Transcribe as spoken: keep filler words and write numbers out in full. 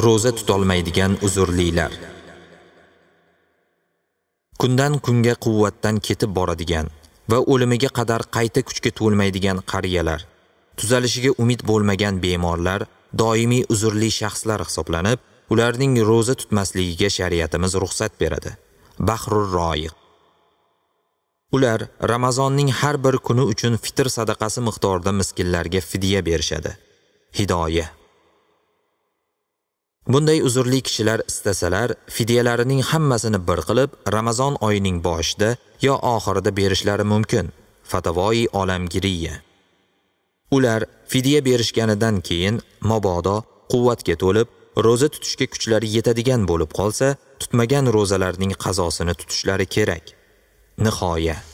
Ro'za tutolmaydigan uzrlilar. Kundan kunga quvvatdan ketib boradigan va o'limiga qadar qayta kuchga to'lmaydigan qariyalar, tuzalishiga umid bo'lmagan bemorlar doimiy uzrli shaxslar hisoblanib, ularning ro'za tutmasligiga shariatimiz ruxsat beradi. Bahrur Roiq. Ular Ramazonning har bir kuni uchun fitr sadaqasi miqdorida miskinlarga fidya berishadi. Hidoya. Bunday uzrli kishilar istasalar, fidyalarining hammasini bir qilib, Ramazon oyining boshida yo oxirida berishlari mumkin. Fatavoi olamgiriya. Ular fidya berishganidan keyin mabodo quvvatga to'lib, ro'za tutishga kuchlari yetadigan bo'lib qolsa, tutmagan ro'zalarning qazosini tutishlari kerak. Nihoya.